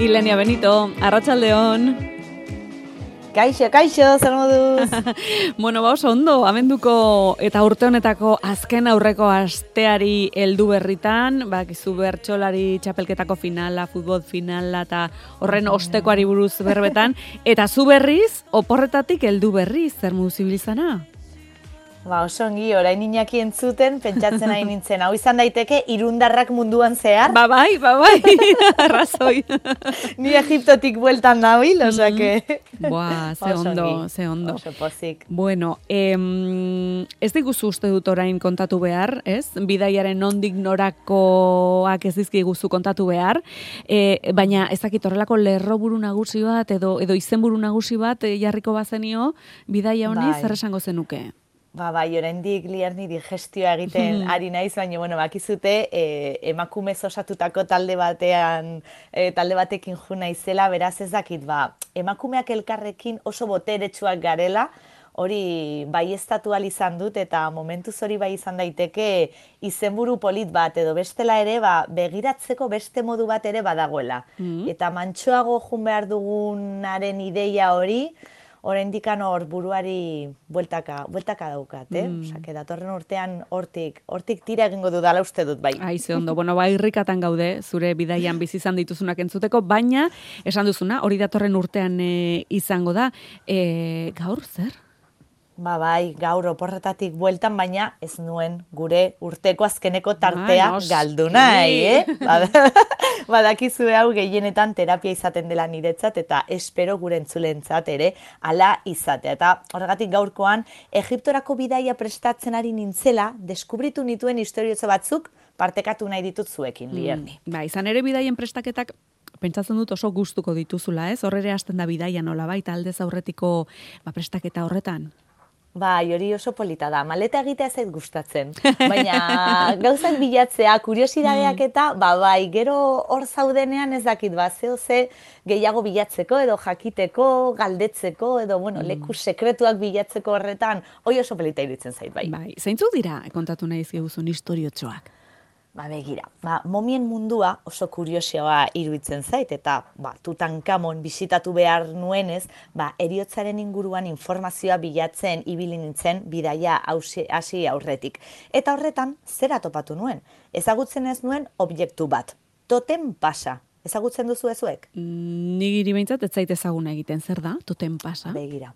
Ilenia Benito, arratsaldeon. Kaixo, zer moduz? Bueno, oso ondo, abenduko eta urte honetako azken aurreko asteari heldu berritan, bakizu bertsolari txapelketako finala, futbol finala eta horren ostekoari buruz berbetan, eta zu berriz, oporretatik heldu berriz, zer moduz ibilizana? Oso ongi, orain Inaki entzuten, pentsatzen nahi nintzen, hau izan daiteke irundarrak munduan zehar. Bai, arrazoi. Ni Egiptotik bueltan nabil, osake. Buah, ze ondo. Oso pozik. Bueno, ez diguzu uste dut orain kontatu behar, ez? Bidaiaren nondik norakoak ez dizkiguzu kontatu behar, baina ez dakit horrelako lerroburu nagusi bat edo izenburu nagusi bat jarriko bazenio, bidaia honi zer esango zenuke? Bai, oraindik Lierni digestioa egiten ari naiz, baina, bakizute, emakumez osatutako talde batekin jo naizela, beraz ez dakit, emakumeak elkarrekin oso boteretsuak garela, hori baieztatu ahal izan dut, eta momentuz hori bai izan daiteke izenburu polit bat, edo bestela ere, begiratzeko beste modu bat ere badagoela. Eta mantsoago jun behar dugunaren ideia hori, oraindik hor buruari bueltaka daukat, Osake, datorren urtean hortik tira egingo dudala uste dut, bai. Ze ondo, irrikatan gaude, zure bidaian bizi izan dituzunak entzuteko, baina, esan duzuna, hori datorren urtean izango da, gaur zer? Bai, gaur oporretatik bueltan, baina ez nuen gure urteko azkeneko tartea galdu nahi, Badakizue hau gehienetan terapia izaten dela niretzat eta espero gure entzulentzat ere hala izatea. Eta horregatik gaurkoan, Egiptorako bidaia prestatzen ari nintzela, deskubritu nituen historiotzo batzuk partekatu nahi ditut zuekin, Lierni. Izan ere bidaien prestaketak pentsatzen dut oso gustuko dituzula, ez? Horrere hasten da bidaia nola baita aldez aurretiko prestaketa horretan. Hori oso polita da. Maleta egitea ez zait gustatzen. Baina gauzak bilatzea, kuriosidadeak eta, gero hor zaudenean ez dakit, ze gehiago bilatzeko, edo jakiteko, galdetzeko, edo, leku sekretuak bilatzeko horretan, hori oso polita iruditzen zait, bai. Zeintzuk dira, kontatu nahi ziguzun historiotxoak? Begira, momien mundua oso kuriosioa iruditzen zait, eta Tutankamon bisitatu behar nuenez, heriotzaren inguruan informazioa bilatzen ibili nintzen bidaia hasi aurretik. Eta horretan, zera topatu nuen? Ezagutzen ez nuen objektu bat. Totem pasa. Ezagutzen duzu ezuek? Nigiri behintzat ez zait ezaguna egiten, zer da? Totem pasa? Begira.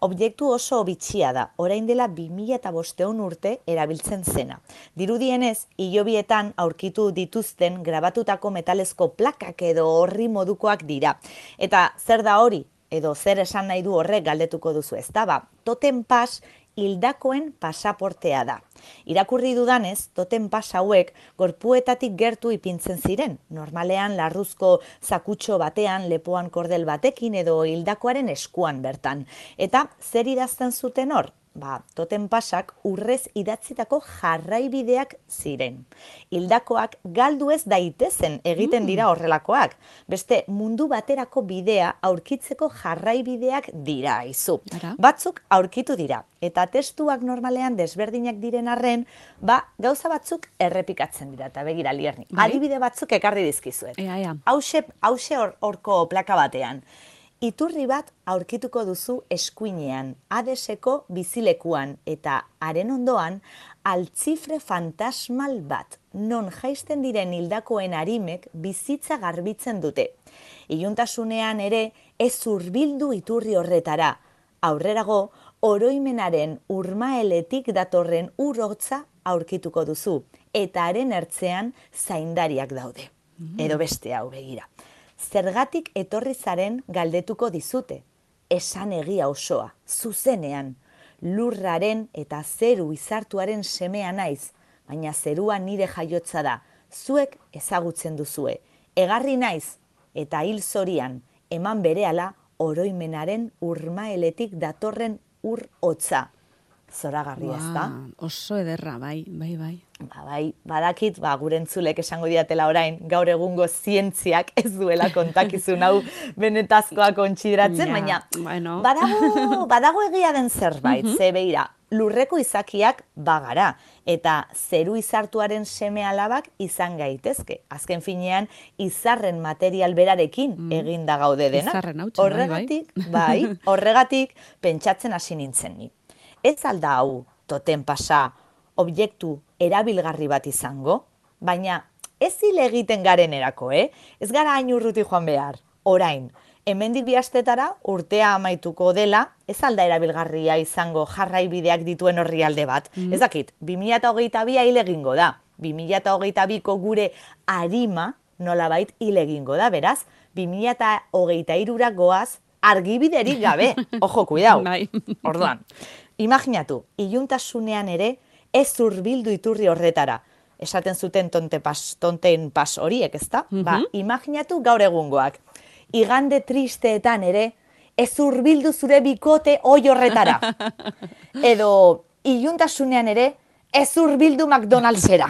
Objektu oso bitxia da, orain dela 2005 urte erabiltzen zena. Dirudienez, hilobietan aurkitu dituzten grabatutako metalezko plakak edo horri modukoak dira. Eta zer da hori, edo zer esan nahi du horrek galdetuko duzu ez da, totem pas hildakoen pasaportea da. Irakurri dudanez, totem pas hauek gorpuetatik gertu ipintzen ziren. Normalean larruzko zakutxo batean, lepoan kordel batekin edo hildakoaren eskuan bertan. Eta zer idazten zuten hor? Totem pasak urrez idatzitako jarraibideak ziren. Hildakoak galdu ez daitezen egiten dira horrelakoak. Beste mundu baterako bidea aurkitzeko jarraibideak dira, izu. Batzuk aurkitu dira. Eta testuak normalean desberdinak diren arren, gauza batzuk errepikatzen dira. Eta begira, Lierni, adibide batzuk ekarri dizkizuet. Hauxe horko plaka batean. Iturri bat aurkituko duzu eskuinean, Hadeseko bizilekuan, eta haren ondoan altzifre fantasmal bat, non jaisten diren hildakoen arimek bizitza garbitzen dute. Iluntasunean ere ez hurbildu iturri horretara. Aurrerago, oroimenaren urmaeletik datorren ur-hotza aurkituko duzu, eta haren ertzean zaindariak daude. Edo beste hau begira. Zergatik etorri zaren galdetuko dizute. Esan egia osoa, zuzenean. Lurraren eta zeru izartuaren semea naiz, baina zerua nire jaiotza da. Zuek ezagutzen duzue. Egarri naiz, eta hil zorian, eman berehala oroimenaren urmaeletik datorren ur-hotza. Zoragarri ez da? Oso ederra, bai. Badakit, gure entzulek esango diatela orain, gaur egungo zientziak ez duela kontakizun hau benetazkoa kontsideratzen, baina badago egia den zerbait, ze begira, lurreko izakiak bagara, eta zeru izartuaren seme alabak izan gaitezke. Azken finean, izarren material berarekin eginda gaude dena. Izarren hautsa, horregatik pentsatzen hasi nintzen ni. Ez alda hau totem pasa objektu erabilgarri bat izango, baina ez hile egiten garenerako, Ez gara hain urruti joan behar, orain. Hemendik 2 astetara urtea amaituko dela, ez alda erabilgarria izango jarraibideak dituen orrialde bat. Ez dakit, 2022 hile egingo da. 2022ko gure arima nolabait hile egingo da, beraz, 2023ra goaz argibiderik gabe. Ojo, kuidau. Orduan, imaginatu, iluntasunean ere ez hurbildu iturri horretara. Esaten zuten tonten pas horiek, ezta? Imaginatu gaur egungoak. Igande tristeetan ere, ez hurbildu zure bikote oi horretara. Edo, iluntasunean ere, ez hurbildu McDonald'sera.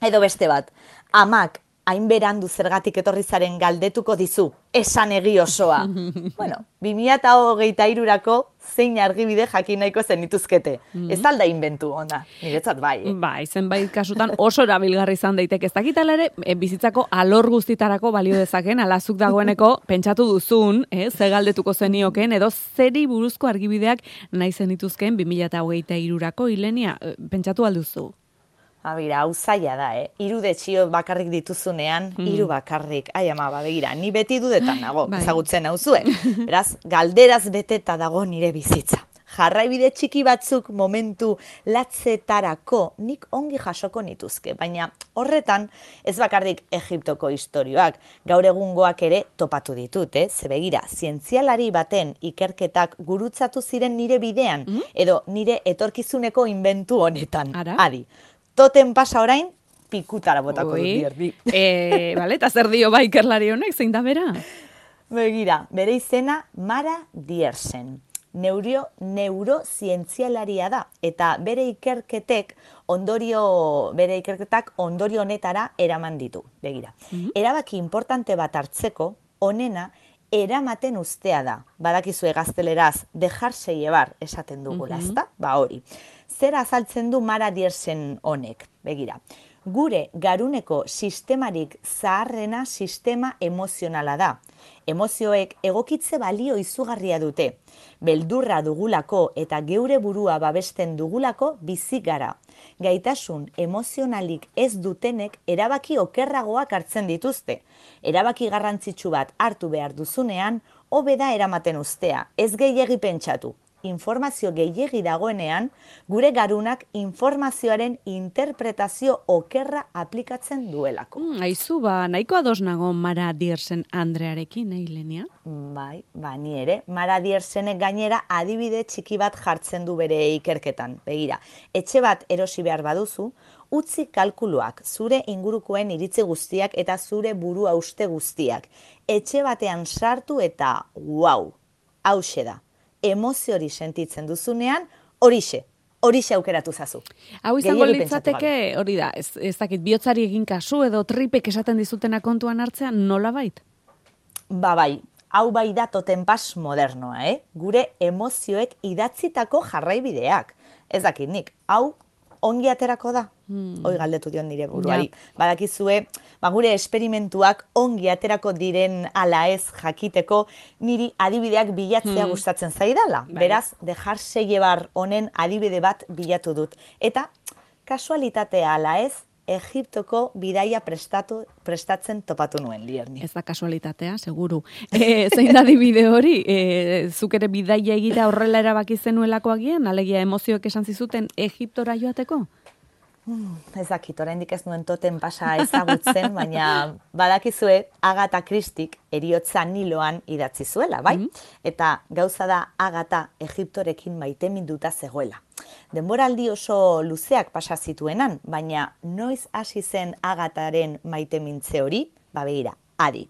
Edo beste bat, amak hain berandu zergatik etorri zaren galdetuko dizu, esan egi osoa. Bueno, 2023rako zein argibide jakin nahiko zenituzkete. Ez alda inbentu ona, niretzat bai. Bai, zenbait kasutan oso erabilgarri izan daiteke. Ez dakitala ere, bizitzako alor guztitarako balio dezaken, alazuk dagoeneko pentsatu duzun, ze galdetuko zenioken, edo zeri buruzko argibideak nahi zenituzken 2023rako, Ilenia, pentsatu alduzu? Bira, hau zaila da, irudetxio bakarrik dituzunean, hiru bakarrik. Ai, ama, begira, ni beti dudetan nago, ezagutzen nauzue. Beraz, galderaz beteta dago nire bizitza. Jarraibide txiki batzuk momentu latzetarako nik ongi jasoko nituzke, baina horretan ez bakarrik Egiptoko istorioak, gaur egungoak ere topatu ditut, ze begira, zientzialari baten ikerketak gurutzatu ziren nire bidean, edo nire etorkizuneko inbentu honetan. Adi. Toten pasa orain, pikutara botako dut dierdi. Eta zer dio ba ikerlari honek, zein da bera? Begira, bere izena Mara Diersen. Neurozientzialaria da, eta bere ikerketak ondorio honetara eraman ditu. Begira, erabaki importante bat hartzeko, onena eramaten ustea da. Badakizue gazteleraz, dejarse llevar esaten dugula, ezta? Hori. Zer azaltzen du Mara Diersen honek, begira. Gure garuneko sistemarik zaharrena sistema emozionala da. Emozioek egokitze balio izugarria dute. Beldurra dugulako eta geure burua babesten dugulako bizi gara. Gaitasun emozionalik ez dutenek erabaki okerragoak hartzen dituzte. Erabaki garrantzitsu bat hartu behar duzunean, hobe da eramaten ustea, ez gehiegi pentsatu. Informazio gehiegi dagoenean, gure garunak informazioaren interpretazio okerra aplikatzen duelako. Aizu, nahiko ados nago Mara Diersen Andrearekin, Ilenia? Bai, ni ere. Mara Diersenek gainera adibide txiki bat jartzen du bere ikerketan. Begira, etxe bat erosi behar baduzu, utzi kalkuluak, zure ingurukoen iritzi guztiak eta zure burua uste guztiak. Etxe batean sartu eta wow, hauxe da. Emozio hori sentitzen duzunean, horixe aukeratu zazu. Hau izango litzateke, hori da, ez dakit, bihotzari egin kasu edo tripek esaten dizutena kontuan hartzean, nola bait? Bai, hau bai da totenpas modernoa, Gure emozioek idatzitako jarraibideak. Ez dakit nik, hau ongi aterako da? Hoi galdetu dion nire buruari. Badakizue, gure esperimentuak ongi aterako diren ala ez jakiteko niri adibideak bilatzea gustatzen zaidala. Beraz, dejarse llevar honen adibide bat bilatu dut. Eta, kasualitatea ala ez, Egiptoko bidaia prestatzen topatu nuen, Lierni. Ez da kasualitatea, seguru. Zein da adibide hori? Zuk ere bidaia egitea horrela erabaki zenuelako agian? Alegia emozioek esan zizuten Egiptora joateko? Ez dakit, oraindik ez nuen toten pasa ezagutzen, baina badakizue Agatha Christik Heriotza Niloan idatzi zuela, bai? Eta gauza da Agatha Egiptorekin maiteminduta zegoela. Denboraldi oso luzeak pasa zituenan, baina noiz hasi zen Agatharen maitemintze hori? Begira, adi.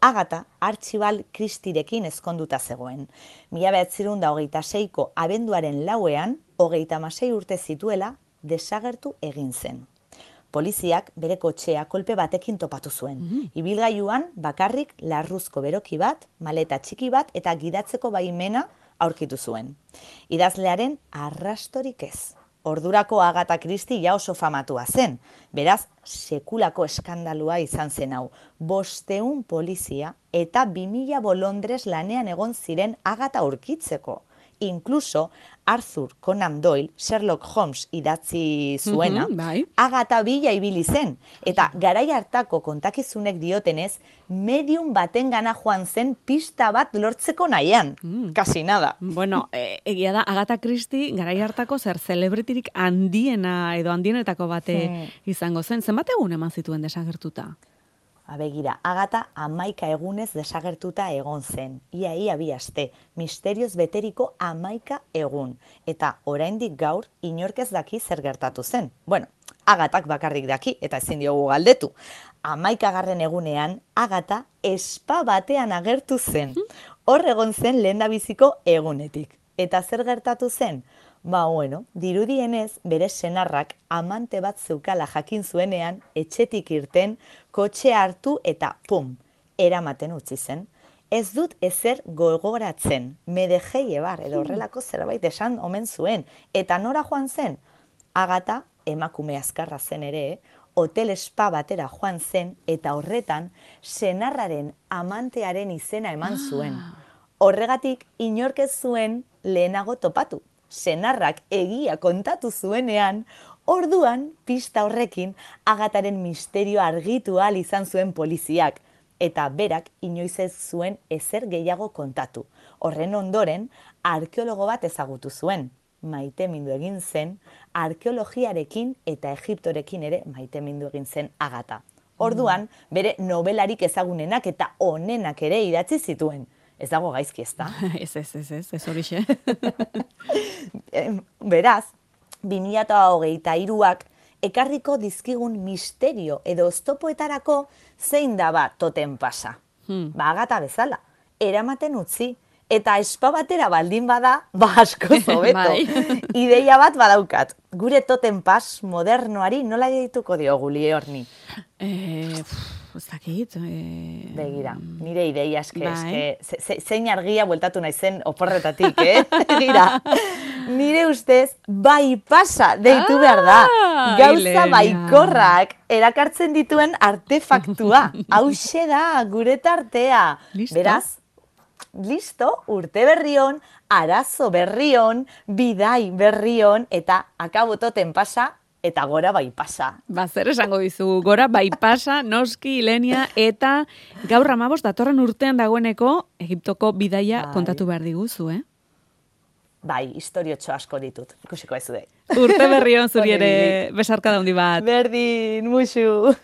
Agatha Archibald Christirekin ezkonduta zegoen. 1926ko abenduaren 4ean, 36 urte zituela, desagertu egin zen. Poliziak bere kotxea kolpe batekin topatu zuen. Ibilgailuan bakarrik larruzko beroki bat, maleta txiki bat eta gidatzeko baimena aurkitu zuen. Idazlearen arrastorik ez. Ordurako Agatha Christie ja oso famatua zen. Beraz, sekulako eskandalua izan zen hau. 500 polizia eta 2000 bolondres lanean egon ziren Agatha aurkitzeko. Inkluso Arthur Conan Doyle, Sherlock Holmes idatzi zuena, Agatha bila ibili zen. Eta garai hartako kontakizunek diotenez, medium baten gana joan zen pista bat lortzeko nahian. Kasi nada. Bueno, egia da, Agatha Christie garai hartako zer celebrityrik handiena edo handienetako bate izango zen. Zenbat egun eman zituen desagertuta? Begira, Agatha 11 egunez desagertuta egon zen. Ia 2 aste, misterioz beteriko 11 egun. Eta oraindik gaur inork ez daki zer gertatu zen. Bueno, Agathak bakarrik daki eta ezin diogu galdetu. 11. egunean Agatha espa batean agertu zen. Hor egon zen lehendabiziko egunetik. Eta zer gertatu zen? Bueno, dirudienez, bere senarrak amante bat zeukala jakin zuenean, etxetik irten, kotxe hartu eta pum, eramaten utzi zen. Ez dut ezer gogoratzen, me dejei llevar, edo horrelako zerbait esan omen zuen. Eta nora joan zen? Agatha, emakume azkarra zen ere, hotel spa batera joan zen, eta horretan, senarraren amantearen izena eman zuen. Horregatik, inork ez zuen lehenago topatu. Senarrak egia kontatu zuenean, orduan pista horrekin Agatharen misterio argitu ahal izan zuen poliziak, eta berak inoiz ez zuen ezer gehiago kontatu. Horren ondoren, arkeologo bat ezagutu zuen. Maitemindu egin zen, arkeologiarekin eta Egiptorekin ere maitemindu egin zen Agatha. Orduan, bere nobelarik ezagunenak eta onenak ere idatzi zituen. Ez dago gaizki, ez da? Ez horixe. Beraz, 2023ak ekarriko dizkigun misterio edo oztopoetarako zein da ba totem pasa. Agatha bezala, eramaten utzi, eta espa batera baldin bada, asko zobeto. Ideia bat badaukat. Gure totem pas modernoari nola deituko diogu Liorni? Ez dakit. Begira, nire ideia zein argia bueltatu naizen oporretatik, Begira, nire ustez bai pasa deitu behar da. Gauza baikorrak erakartzen dituen artefaktua. Hauxe da, gure tartea. Beraz, listo, urte berrion, arazo berrion, bidai berrion, eta akabototen pasa, eta gora bai pasa. Zer esango dizu, gora bai pasa, noski, Ilenia, eta gaur 15 datorren urtean dagoeneko Egiptoko bidaia kontatu behar diguzu, Bai, historiotxo asko ditut, ikusiko ez du. Urte berrion zuri ere besarka daundi bat. Berdin, musu.